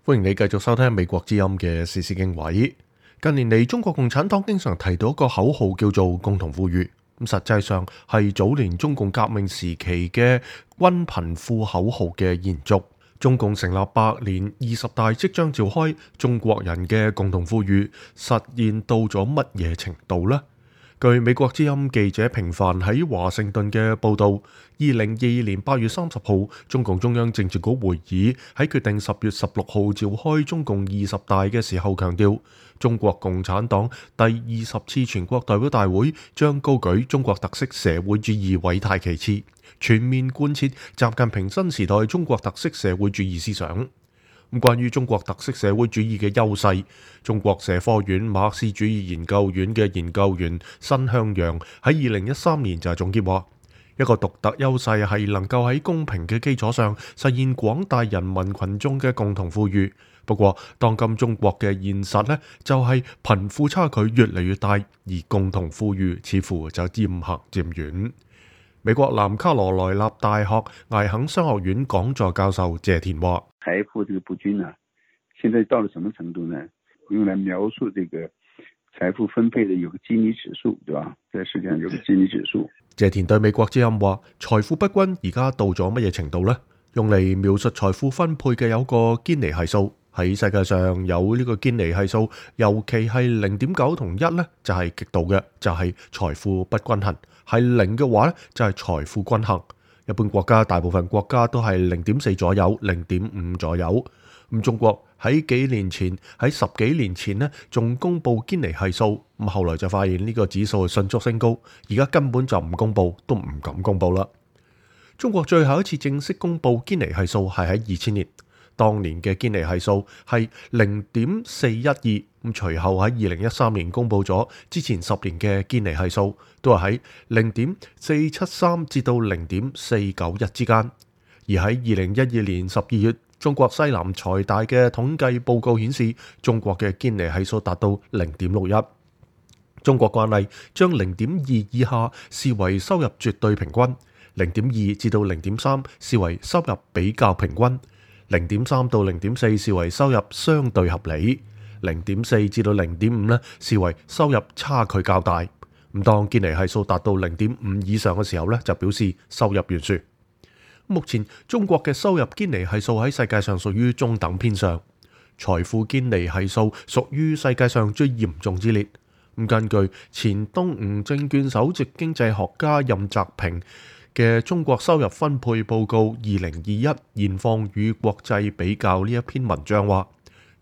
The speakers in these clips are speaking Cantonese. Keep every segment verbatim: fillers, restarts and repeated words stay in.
歡迎你繼續收聽美國之音嘅時事經緯。近年嚟，中國共產黨經常提到一個口號叫做共同富裕，咁實際上係早年中共革命時期嘅均貧富口號嘅延續。中共成立百年，二十大即將召開，中國人嘅共同富裕實現到咗乜嘢程度呢？據美國之音記者平凡喺華盛頓嘅報導，二零二二年八月三十號，中共中央政治局會議喺決定十月十六號召開中共二十大嘅時候強調，中國共產黨第二十次全國代表大會將高舉中國特色社會主義偉大旗幟，全面貫徹習近平新時代中國特色社會主義思想。咁關於中國特色社會主義嘅優勢，中國社科院馬克思主義研究院嘅研究員申向陽喺二零一三年就係總結話，一個獨特優勢係能夠喺公平嘅基礎上實現廣大人民群眾嘅共同富裕。不過，當今中國嘅現實呢，就係貧富差距越嚟越大，而共同富裕似乎就漸行漸遠。美國南卡羅來納大學艾肯商學院講座教授謝田話：財富這個不均啊，現在到了什麼程度呢？用來描述這個財富分配的有個基尼指數，對吧？在世界上有個基尼指數。謝田對美國之音話：財富不均而家到咗乜嘢程度呢？用嚟描述財富分配嘅有個堅尼係數，喺世界上有呢個堅尼係數，尤其係零點九同一呢，就係極度嘅，就係財富不均衡；係零嘅話呢，就係財富均衡。一般國家大部分國家都係零點四左右，零點五左右。咁中國喺幾年前喺十幾年前呢，仲公布堅尼係數，咁後來就發現呢個指數迅速升高，而家根本就唔公布，都唔敢公布啦。中國最後一次正式公布堅尼係數係喺二千年，當年嘅堅尼係數係零點四一二，咁隨後喺二零一三年公布咗之前十年嘅堅尼係數，都係喺零點四七三至到零點四九一之間。而喺二零一二年十二月，中國西南財大嘅統計報告顯示，中國嘅堅尼係數達到零點六一。中國慣例將零點二以下視為收入絕對平均，零點二至到零點三視為收入比較平均，零點三到零點四視為收入相對合理，零點四至到零點五呢視為收入差距較大。咁當堅尼係數達到零點五以上嘅時候呢，就表示收入懸殊。目前中國嘅收入堅尼係數喺世界上屬於中等偏上，財富堅尼係數屬於世界上最嚴重之列。咁根據前東吳證券首席經濟學家任澤平嘅《中國收入分配報告二零二一現況與國際比較》呢一篇文章話，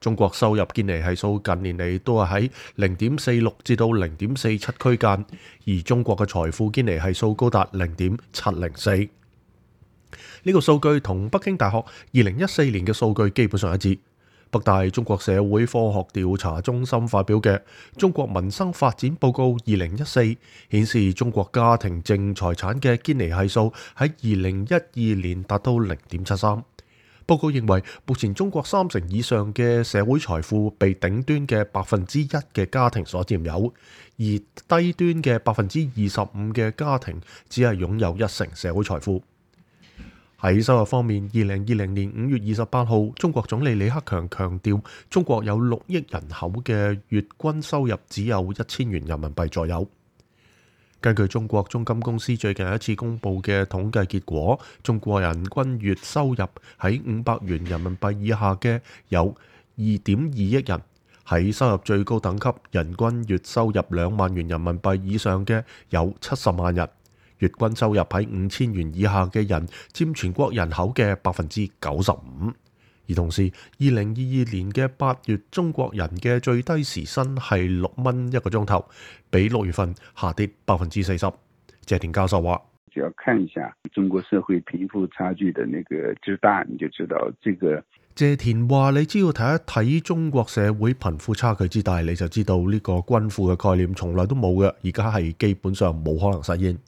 中國收入堅尼係數近年嚟都係喺零點四六至到零點四七區間，而中國嘅財富堅尼係數高達零點七零四。呢個數據同北京大學二零一四年嘅數據基本上一致。北大中國社會科學調查中心發表嘅《中國民生發展報告二零一四》顯示，中國家庭淨財產嘅堅尼係數喺二零一二年達到零點七三。報告認為，目前中國三成以上嘅社會財富被頂端嘅百分之一嘅家庭所佔有，而低端嘅百分之二十五嘅家庭只係擁有一成社會財富。喺收入方面，二零二零年五月二十八號，中國總理李克強強調，中國有六億人口嘅月均收入只有一千元人民幣左右。根據中國中金公司最近一次公布嘅統計結果，中國人均月收入喺五百元人民幣以下嘅有二點二億人，喺收入最高等級人均月收入兩萬元人民幣以上嘅有七十萬人。月均收入喺五千元以下嘅人佔全國人口嘅百分之九十五，而同時，二零二二年嘅八月，中國人嘅最低時薪係六蚊一個鐘頭，比六月份下跌百分之四十。謝田教授話：只要看一下中國社會貧富差距的那個之大，你就知道這個。謝田話：你只要睇一睇中國社會貧富差距之大，你就知道呢個均富嘅概念從來都冇嘅，而家係基本上冇可能實現。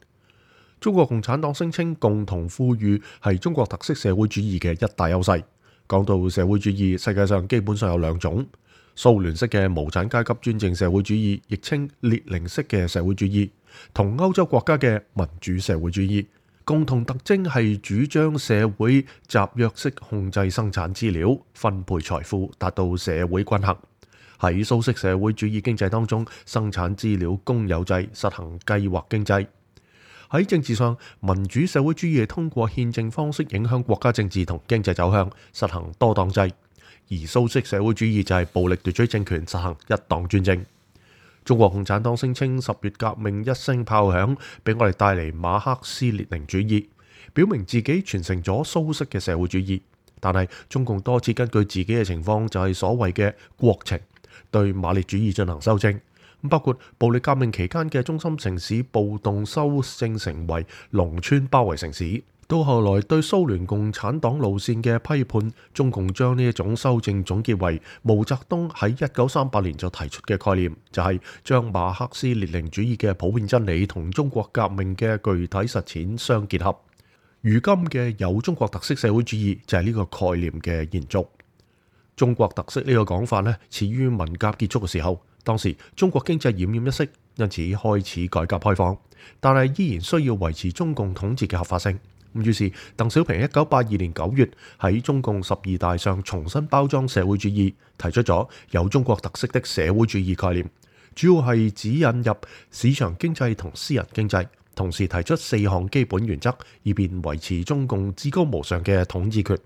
中國共產黨聲稱共同富裕係中國特色社會主義嘅一大優勢。講到社會主義，世界上基本上有兩種：蘇聯式嘅無產階級專政社會主義，亦稱列寧式嘅社會主義，同歐洲國家嘅民主社會主義。共同特徵係主張社會集約式控制生產資料、分配財富，達到社會均衡。喺蘇式社會主義經濟當中，生產資料公有制，實行計劃經濟。喺政治上，民主社會主義通過憲政方式影響國家政治同經濟走向，實行多黨制；而蘇式社會主義就係暴力奪取政權，實行一黨專政。中國共產黨聲稱十月革命一聲炮響，俾我哋帶嚟馬克思列寧主義，表明自己傳承咗蘇式嘅社會主義。但係中共多次根據自己嘅情況，就係所謂嘅國情，對馬列主義進行修正。包括暴力革命期間嘅中心城市暴動修正成為農村包圍城市，到後來對蘇聯共產黨路線嘅批判，中共將呢一種修正總結為毛澤東喺一九三八年就提出嘅概念，就係將馬克思列寧主義嘅普遍真理同中國革命嘅具體實踐相結合。如今嘅有中國特色社會主義就係呢個概念嘅延續。中國特色呢個講法呢，始於文革結束嘅時候。當時中國經濟奄奄一息，因此開始改革開放，但係依然需要維持中共統治嘅合法性。咁於是鄧小平一九八二年九月喺中共十二大上重新包裝社會主義，提出咗有中國特色的社會主義概念，主要係指引入市場經濟同私人經濟，同時提出四項基本原則，以便維持中共至高無上嘅統治權。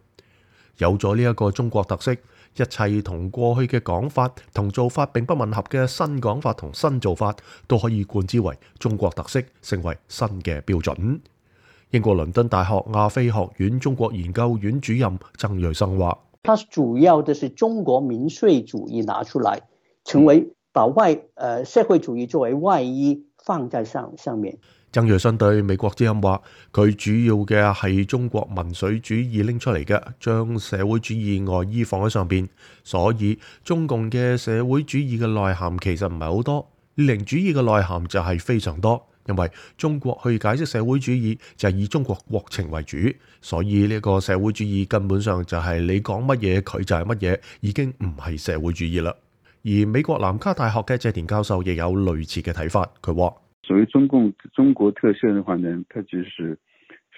有咗呢一個中國特色，一切同過去嘅講法同做法並不吻合嘅新講法同新做法，都可以冠之為中國特色，成為新嘅標準。英國倫敦大學亞非學院中國研究院主任曾瑞生話：它主要的是中國民粹主義拿出來，成為把外呃社會主義作為外衣放在上上面。曾瑞生對美國之音話：佢主要嘅係中國民粹主義拎出嚟嘅，將社會主義外衣放喺上邊，所以中共嘅社會主義嘅內涵其實唔係好多，列寧主義嘅內涵就係非常多。因為中國去解釋社會主義就係以中國國情為主，所以呢個社會主義根本上就係你講乜嘢佢就係乜嘢，已經唔係社會主義啦。而美國南卡大學嘅謝田教授亦有類似嘅睇法，佢話：所謂中共中國特色嘅話呢，它就是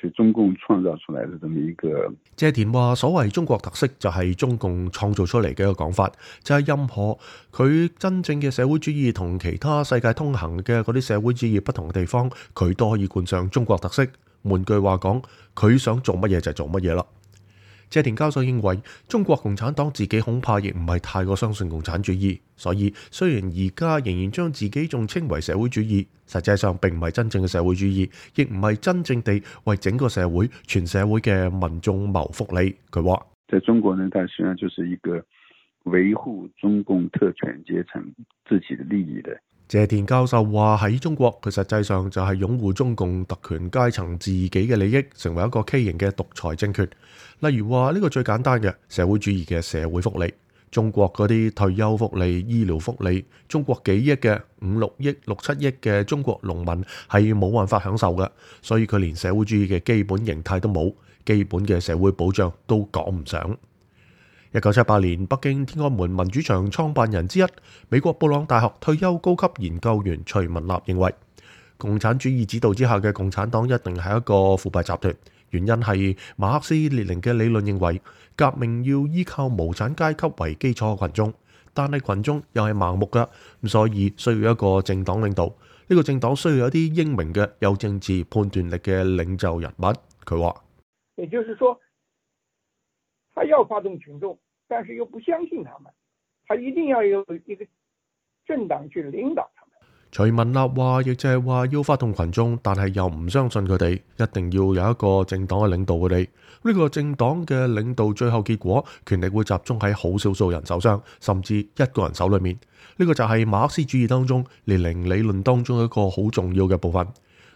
是中共創造出來的這麼一個。謝田話：所謂中國特色就係中共創造出嚟嘅一個講法，就係、是、任何佢真正嘅社會主義同其他世界通行嘅嗰啲社會主義不同嘅地方，佢都可以冠上中國特色。換句話講，佢想做乜嘢就做乜嘢啦。謝田教授認為，中國共產黨自己恐怕亦唔係太過相信共產主義，所以雖然而家仍然將自己仲稱為社會主義，實際上並唔係真正嘅社會主義，亦唔係真正地為整個社會、全社會嘅民眾謀福利。佢話：在中國呢，它實際上就是一個維護中共特權階層自己的利益的。謝田教授話喺中國，佢實際上就係擁護中共特權階層自己嘅利益，成為一個畸形嘅獨裁政權。例如話呢個最簡單嘅社會主義嘅社會福利，中國嗰啲退休福利、醫療福利，中國幾億嘅五六億、六七億嘅中國農民係冇辦法享受嘅，所以佢連社會主義嘅基本形態都冇，基本嘅社會保障都講唔上。一九七八年，北京天安門民主牆創辦人之一、美國布朗大學退休高級研究員徐文立認為，共產主義指導之下嘅共產黨一定係一個腐敗集團。原因係馬克思列寧嘅理論認為，革命要依靠無產階級為基礎嘅群眾，但係群眾又係盲目㗎，咁所以需要一個政黨領導。呢、這個政黨需要一啲英明嘅、有政治判斷力嘅領袖人物。佢話：也就是說，他要發動群眾，但是又不相信他們，他一定要有一個政黨去領導他們。徐文立話，亦就係話要發動群眾，但係又唔相信佢哋，一定要有一個政黨去領導佢哋。呢個政黨嘅領導最後結果，權力會集中喺好少數人手上，甚至一個人手裏面。呢個就係馬克思主義當中列寧理論當中一個好重要嘅部分。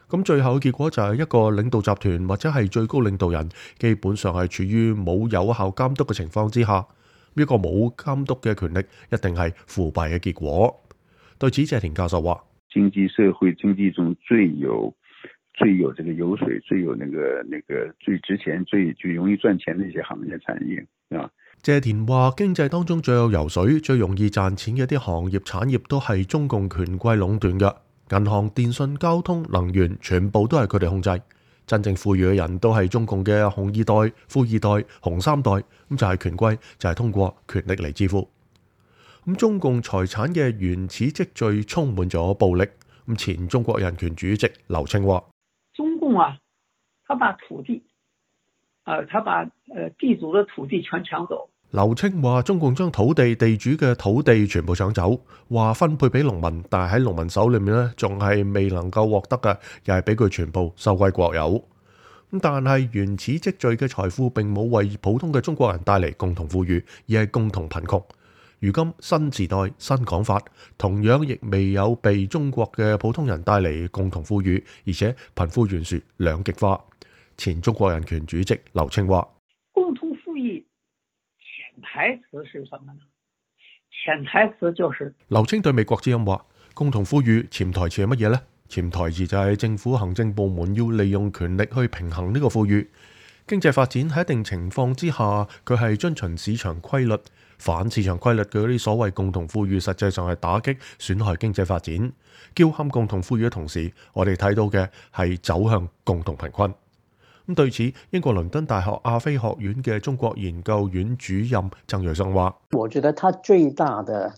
咁最後嘅結果就係一個領導集團或者係最高領導人，基本上係處於冇有效監督嘅情況之下。呢個冇監督嘅權力，一定係腐敗嘅結果。對此，謝田教授話：經濟社會經濟中最有最有這個油水、最有那個那個最值錢、最最容易賺錢的一些行業產業啊。謝田話：經濟當中最有油水、最容易賺錢嘅啲行業產業都係中共權貴壟斷嘅，銀行、電信、交通、能源全部都係佢哋控制。真正富裕嘅人都係中共嘅紅二代、富二代、紅三代，咁就係權貴，就係通過權力嚟支付。咁中共財產嘅原始積聚充滿咗暴力。咁前中國人權主席劉青話：中共啊，他把土地，呃，他把呃地主嘅土地全搶走。劉青話：中共將土地地主嘅土地全部搶走，話分配俾農民，但係喺農民手裏面呢，仲係未能夠獲得嘅，又係俾佢全部收歸國有。咁但係原始積聚嘅財富並冇為普通嘅中國人帶嚟共同富裕，而係共同貧窮。如今新時代新講法，同樣亦未有被中國嘅普通人帶嚟共同富裕，而且貧富懸殊兩極化。前中國人權主席劉青話：共同富裕潛台詞是什麼呢？潛台詞就是劉青對美國之音話：共同富裕潛台詞係乜嘢呢？潛台詞就係政府行政部門要利用權力去平衡呢個富裕。經濟發展喺一定情況之下，佢係遵循市場規律。反市場規律嘅嗰啲所謂共同富裕，實際上係打擊損害經濟發展。叫喊共同富裕嘅同時，我哋睇到嘅係走向共同貧困。咁對此，英國倫敦大學亞非學院嘅中國研究院主任曾瑞生話：我覺得他最大的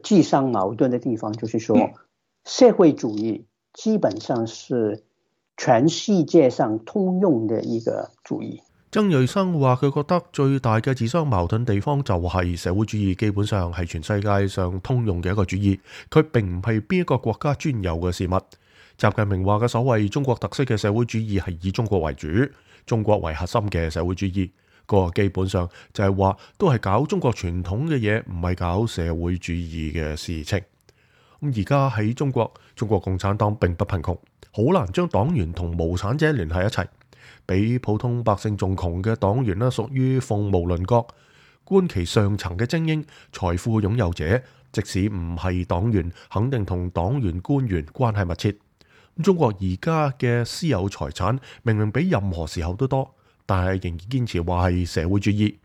自相矛盾的地方，就是說社會主義基本上是全世界上通用的一個主義。曾瑞生話：佢覺得最大嘅自相矛盾地方就係社會主義基本上係全世界上通用嘅一個主義，佢並唔係邊一個國家專有嘅事物。習近平話嘅所謂中國特色嘅社會主義係以中國為主、中國為核心嘅社會主義，個基本上就係話都係搞中國傳統嘅嘢，唔係搞社會主義嘅事情。咁而家喺中國，中國共產黨並不貧窮，好難將黨員同無產者聯繫一齊。比普通百姓仲窮嘅黨員呢，屬於鳳毛麟角。觀其上層嘅精英、財富擁有者，即使唔係黨員，肯定同黨員官員關係密切。中國而家嘅私有財產明明比任何時候都多，但係仍然堅持話係社會主義。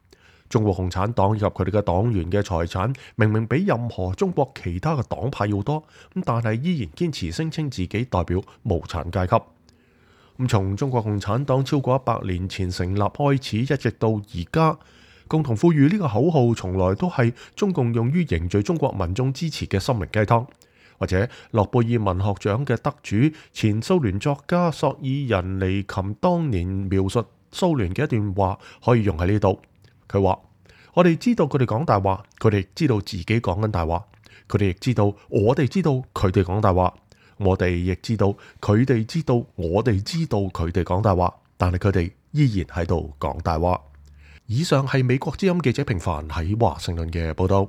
中國共產黨以及佢哋嘅黨員嘅財產明明比任何中國其他嘅黨派要多，咁但係依然堅持聲稱自己代表無產階級。咁從中國共產黨超過一百年前成立開始，一直到而家，共同富裕呢個口號從來都係中共用於凝聚中國民眾支持嘅心靈雞湯。或者諾貝爾文學獎嘅得主、前蘇聯作家索爾仁尼琴當年描述蘇聯嘅一段話，可以用喺呢度。佢話：我哋知道佢哋講大話，佢哋知道自己講緊大話，佢哋亦知道我哋知道佢哋講大話。我哋亦知道，佢哋知道，我哋知道佢哋講大話，但係佢哋依然喺度講大話。以上係美國之音記者平凡喺華盛頓嘅報道。